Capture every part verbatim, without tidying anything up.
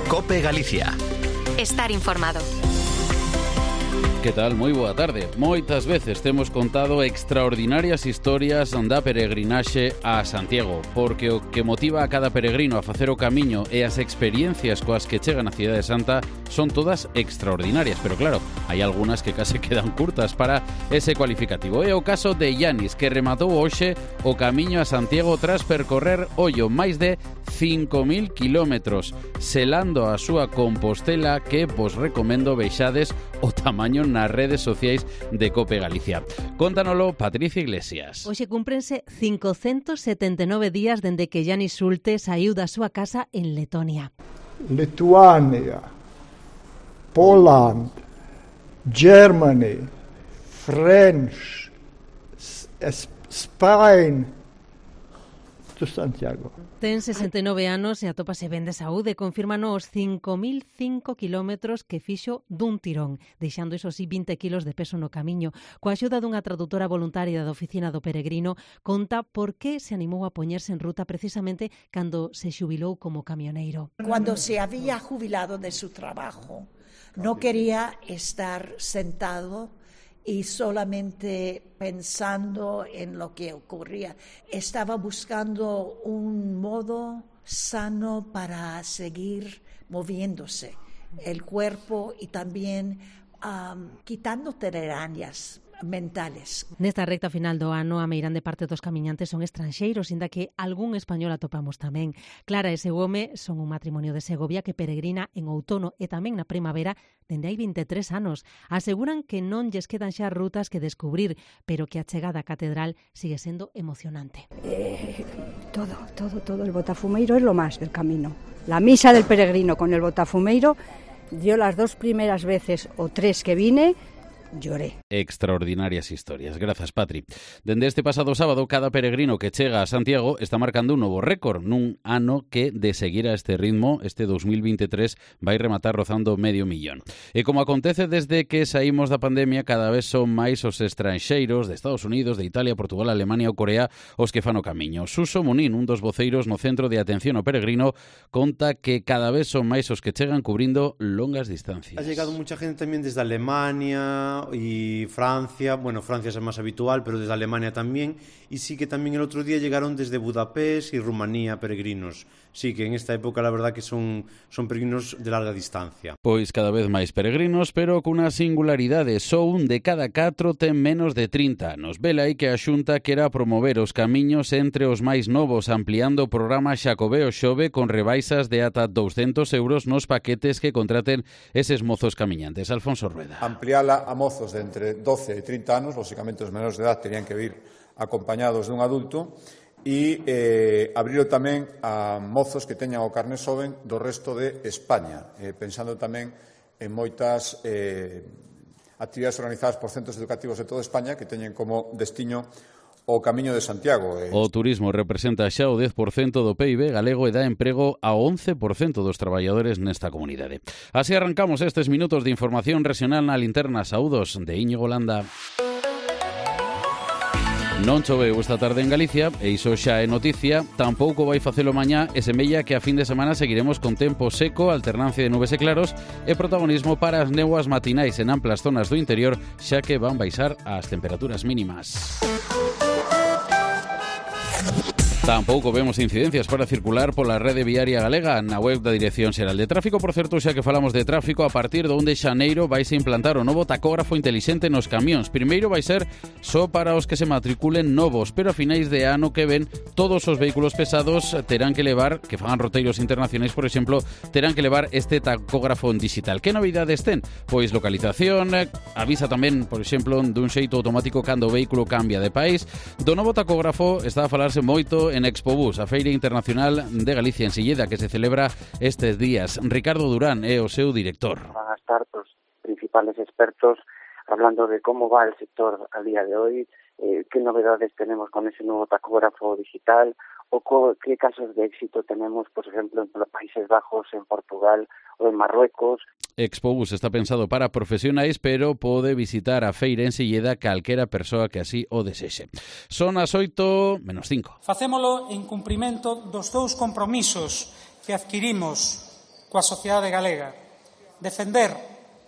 COPE Galicia. Estar informado. Que tal? Moi boa tarde. Moitas veces temos contado extraordinarias historias da peregrinaxe a Santiago, porque o que motiva a cada peregrino a facer o camiño e as experiencias coas que chegan a Cidade Santa son todas extraordinarias, pero claro, hai algunhas que case quedan curtas para ese cualificativo. É o caso de Yanis, que rematou hoxe o camiño a Santiago tras percorrer, ollo, máis de cinco mil kilómetros, selando a súa Compostela, que vos recomendo vexades o tamaño nas redes sociais de COPE Galicia. Contánoslo Patricia Iglesias. Hoxe cúmprense cincocentos setenta e nove días dende que Yanis Sulte saiu da súa casa en Letonia. Lituania, Poland, Germany, French, Spain, to Santiago. Ten sesenta e nove anos e atópase ben de saúde. Confirman os cinco mil cinco kilómetros que fixo dun tirón, deixando iso sí vinte kilos de peso no camiño. Coa axuda dunha traductora voluntaria da oficina do peregrino, conta por que se animou a poñerse en ruta precisamente cando se xubilou como camioneiro. Cuando se había jubilado de su trabajo, no quería estar sentado y solamente pensando en lo que ocurría. Estaba buscando un modo sano para seguir moviéndose el cuerpo y también um, quitando telarañas mentales. Nesta recta final do ano, a meirande parte dos camiñantes son estranxeiros, inda que algún español atopamos tamén. Clara e seu home son un matrimonio de Segovia que peregrina en outono e tamén na primavera dende hai vinte e tres anos. Aseguran que non lles quedan xa rutas que descubrir, pero que a chegada á catedral sigue sendo emocionante. Eh, todo, todo, todo. El botafumeiro es lo más del camino. La misa del peregrino con el botafumeiro, yo las dos primeras veces o tres que vine, lloré. Extraordinarias historias. Grazas, Patri. Dende este pasado sábado, cada peregrino que chega a Santiago está marcando un novo récord nun ano que, de seguir a este ritmo, este dos mil veintitrés vai rematar rozando medio millón. E como acontece desde que saímos da pandemia, cada vez son máis os estranxeiros de Estados Unidos, de Italia, Portugal, Alemania ou Corea os que fan o camiño. Suso Munín, un dos voceiros no Centro de Atención ao Peregrino, conta que cada vez son máis os que chegan cubrindo longas distancias. Ha llegado mucha gente también desde Alemania y Francia, bueno, Francia es más habitual, pero desde Alemania también, y sí que también el otro día llegaron desde Budapest y Rumanía peregrinos. Sí, que en esta época la verdad que son, son peregrinos de larga distancia. Pois cada vez máis peregrinos, pero cunha singularidade, só un de cada catro ten menos de trinta anos. Vela aí que a Xunta quera promover os camiños entre os máis novos, ampliando o programa Xacobeo Xove con rebaixas de ata douscentos euros nos paquetes que contraten eses mozos camiñantes. Alfonso Rueda. Ampliala a mozos de entre doce e trinta anos, lógicamente os menores de edad terían que vir acompañados dun adulto, e eh, abrilo tamén a mozos que teñan o carné xoven do resto de España, eh, pensando tamén en moitas eh, actividades organizadas por centros educativos de toda España que teñen como destiño o Camiño de Santiago. Eh. O turismo representa xa o dez por cento do P I B galego e dá emprego a once por cento dos traballadores nesta comunidade. Así arrancamos estes minutos de información regional na linterna. Saúdos de Íñigo Landa. Non choveu esta tarde en Galicia, e iso xa é noticia. Tampouco vai facelo mañá, e semella que a fin de semana seguiremos con tempo seco, alternancia de nubes e claros, e protagonismo para as néboas matinais en amplas zonas do interior, xa que van baixar as temperaturas mínimas. Tampouco vemos incidencias para circular pola rede viaria galega. Na web da Dirección Xeral de Tráfico, por certo, xa que falamos de tráfico, a partir do un de xaneiro vaise implantar o novo tacógrafo intelixente nos camións. Primeiro vai ser só para os que se matriculen novos, pero a finais de ano que ven todos os vehículos pesados terán que levar, que fagan roteiros internacionais, por exemplo, terán que levar este tacógrafo en digital. Que novidades ten? Pois localización, avisa tamén, por exemplo, dun xeito automático cando o vehículo cambia de país. Do novo tacógrafo está a falarse moito en Expobús, a Feira Internacional de Galicia en Silleda, que se celebra estes días. Ricardo Durán é o seu director. Van a estar os principales expertos hablando de cómo va el sector al día de hoy, eh, qué novedades tenemos con ese nuevo tacógrafo digital o co- qué casos de éxito tenemos, por ejemplo, en los Países Bajos, en Portugal o en Marruecos. Expobús está pensado para profesionais, pero pode visitar a feira en Silleda calquera persoa que así o desexe. Son as oito menos cinco. Facémolo en cumprimento dos dous compromisos que adquirimos coa sociedade galega, defender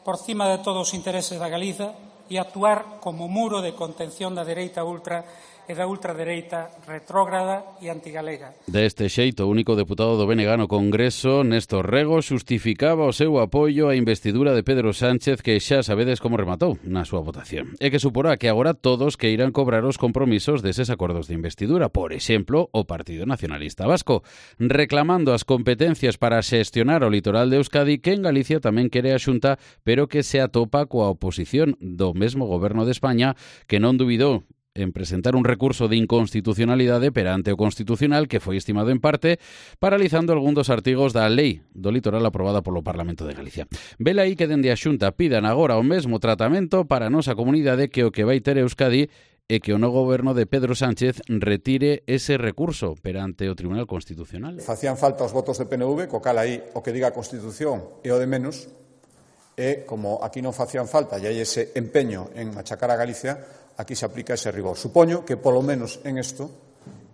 por cima de todos os intereses da Galiza e actuar como muro de contención da dereita ultra e da ultradereita retrógrada e antigalega. Deste xeito, o único deputado do B N G no Congreso, Néstor Rego, xustificaba o seu apoio á investidura de Pedro Sánchez, que xa sabedes como rematou na súa votación. E que suporá que agora todos que irán cobrar os compromisos deses acordos de investidura, por exemplo, o Partido Nacionalista Vasco, reclamando as competencias para xestionar o litoral de Euskadi, que en Galicia tamén quere a Xunta, pero que se atopa coa oposición do mesmo Goberno de España, que non dubidou en presentar un recurso de inconstitucionalidade perante o Constitucional, que foi estimado en parte, paralizando algún dos artigos da lei do litoral aprobada polo Parlamento de Galicia. Vela aí que dende a Xunta pidan agora o mesmo tratamento para a nosa comunidade que o que vai ter Euskadi e que o novo goberno de Pedro Sánchez retire ese recurso perante o Tribunal Constitucional. Facían falta os votos de P N V, co cal aí o que diga a Constitución é o de menos, e como aquí non facían falta e hai ese empeño en machacar a Galicia, aquí se aplica ese rigor. Supoño que, polo menos en isto,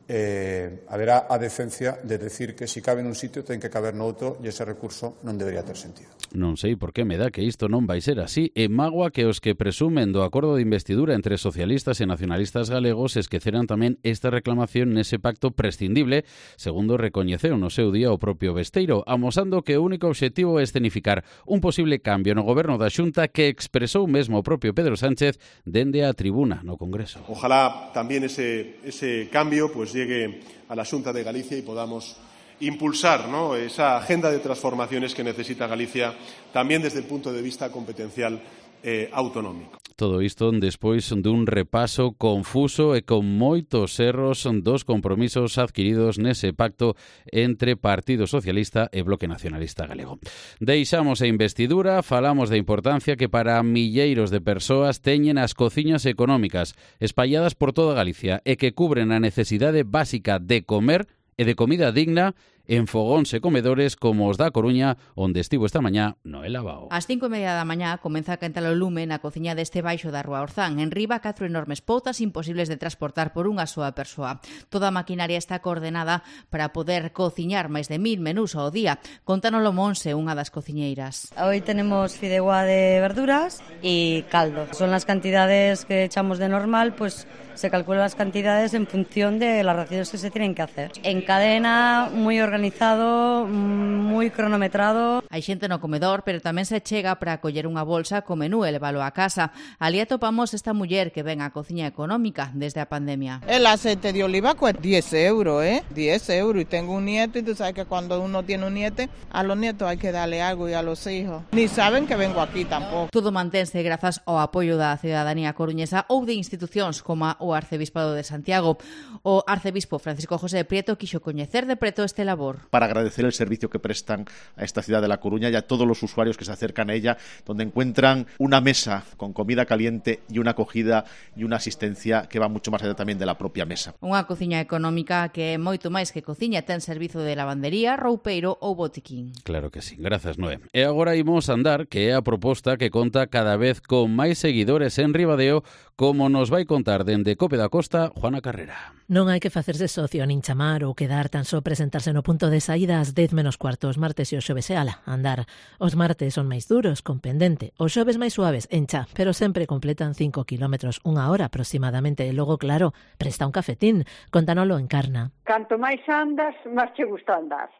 eh, haberá a decencia de decir que si cabe nun sitio ten que caber no outro e ese recurso non debería ter sentido. Non sei por que me dá que isto non vai ser así. E mágoa que os que presumen do acordo de investidura entre socialistas e nacionalistas galegos esqueceran tamén esta reclamación nese pacto prescindible, segundo recoñeceu no seu día o propio Besteiro, amosando que o único obxectivo é escenificar un posible cambio no goberno da Xunta que expresou mesmo o propio Pedro Sánchez dende a tribuna no Congreso. Ojalá también ese, ese cambio pues llegue a la Xunta de Galicia y podamos impulsar, ¿no?, esa agenda de transformaciones que necesita Galicia también desde el punto de vista competencial eh, autonómico. Todo isto despois dun repaso confuso e con moitos erros dos compromisos adquiridos nese pacto entre Partido Socialista e Bloque Nacionalista Galego. Deixamos a investidura, falamos da importancia que para milleiros de persoas teñen as cociñas económicas espalladas por toda Galicia e que cubren a necesidade básica de comer e de comida digna en fogóns e comedores como os da Coruña, onde estivo esta mañá Noela Bao. Ás cinco e media da mañá comeza a quentar o lume na cociña deste baixo da Rúa Orzán. En riba, catro enormes poutas imposibles de transportar por unha soa persoa. Toda a maquinaria está coordenada para poder cociñar máis de mil menús ao día. Contánolo Monse, unha das cociñeiras. Hoy tenemos fideuá de verduras y caldo. Son las cantidades que echamos de normal, pues se calculan las cantidades en función de las raciones que se tienen que hacer. En cadena, muy organizado, muy cronometrado. Hai xente no comedor, pero tamén se chega para coller unha bolsa co menú e leválo a casa. Ali atopamos esta muller que ven a cociña económica desde a pandemia. El aceite de oliva cuesta diez euros, ¿eh? diez euros. Y tengo un nieto y tú sabes que cuando uno tiene un nieto, a los nietos hay que darle algo y a los hijos. Ni saben que vengo aquí tampoco. Todo mantense grazas ao apoio da cidadanía coruñesa ou de institucións como o Arcebispado de Santiago. O arcebispo Francisco José Prieto quixo coñecer de preto este labor. Para agradecer el servicio que prestan a esta ciudad de La Coruña y a todos los usuarios que se acercan a ella, donde encuentran una mesa con comida caliente y una acogida y una asistencia que va mucho más allá también de la propia mesa. Unha cociña económica que é moito máis que cociña, ten servizo de lavandería, roupeiro ou botiquín. Claro que sí, grazas Noé. E agora imos andar, que é a proposta que conta cada vez con máis seguidores en Ribadeo, como nos vai contar dende Cope da Costa Juana Carrera. Non hai que facerse socio nin chamar ou quedar tan só presentarse no punto de saída ás dez menos cuarto os martes e os xoves e ala, andar. Os martes son máis duros, con pendente, os xoves máis suaves, encha, pero sempre completan cinco kilómetros, unha hora aproximadamente, e logo, claro, presta un cafetín, contanolo en Carna. Canto máis andas, máis che gusta andar.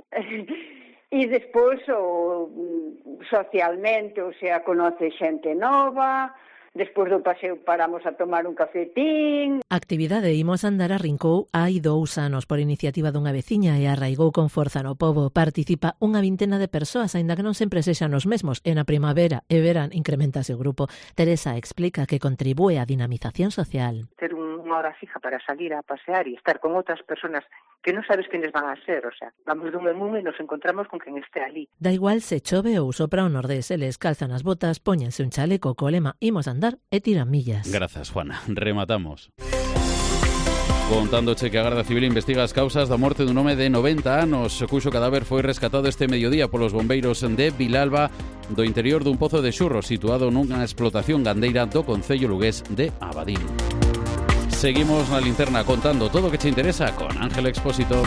E despois, o, socialmente, o sea, conoce xente nova. Despois do paseo paramos a tomar un cafetín. A actividade Imos andar arrincou hai dous anos por iniciativa dunha veciña e arraigou con forza no pobo. Participa unha vintena de persoas, aínda que non sempre sexan os mesmos. E na primavera e verán incrementase o grupo. Teresa explica que contribúe á dinamización social. Ter unha hora fija para salir a pasear e estar con outras persoas que non sabes quenes van a ser, o sea, vamos dun en un e nos encontramos con quen este ali. Da igual se chove ou sopra o nordés, eles calzan as botas, póñense un chaleco co lema Imos andar e tiran millas. Grazas, Juana. Rematamos. Contándoche que a Garda Civil investiga as causas da morte dun home de noventa anos, cuxo cadáver foi rescatado este mediodía polos bombeiros de Vilalba do interior dun pozo de xurro situado nunha explotación gandeira do concello lugués de Abadín. Seguimos na linterna contando todo o que che interesa con Ángel Expósito.